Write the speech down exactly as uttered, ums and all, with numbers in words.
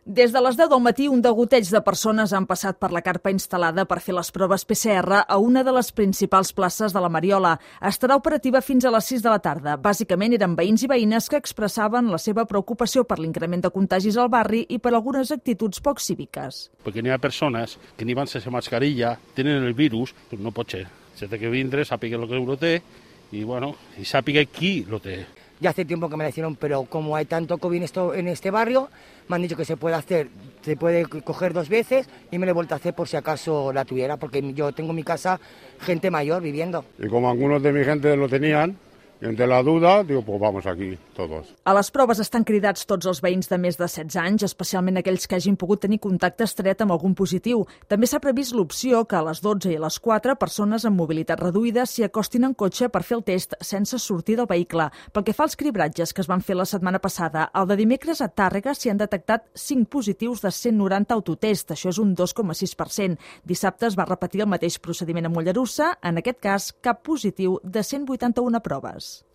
Des de les deu del matí, un degoteig de persones han passat per la carpa instal·lada per fer les proves P C R a una de les principals places de la Mariola. Estarà operativa fins a les sis de la tarda. Bàsicament eren veïns i veïnes que expressaven la seva preocupació per l'increment de contagis al barri i per algunes actituds poc cíviques. Perquè n'hi ha persones que ni van sense mascarilla, tenen el virus, doncs no pot ser. Se té que vindre, sàpiga el que lo té i, bueno, i sàpiga qui lo té. Ya hace tiempo que me la hicieron, pero como hay tanto COVID en, esto, en este barrio, me han dicho que se puede hacer, se puede coger dos veces y me la he vuelto a hacer por si acaso la tuviera, porque yo tengo en mi casa gente mayor viviendo. Y como algunos de mi gente lo tenían, y ante la duda, digo, pues vamos aquí, todos. A les proves estan cridats tots els veïns de més de setze anys, especialment aquells que hagin pogut tenir contacte estret amb algun positiu. També s'ha previst l'opció que a les dotze i a les quatre persones amb mobilitat reduïda s'hi acostin en cotxe per fer el test sense sortir del vehicle. Pel que fa als cribratges que es van fer la setmana passada, el de dimecres a Tàrrega s'hi han detectat cinc positius de cent noranta autotest, això és un dos coma sis per cent. Dissabte es va repetir el mateix procediment a Mollerussa, en aquest cas cap positiu de cent vuitanta-una proves.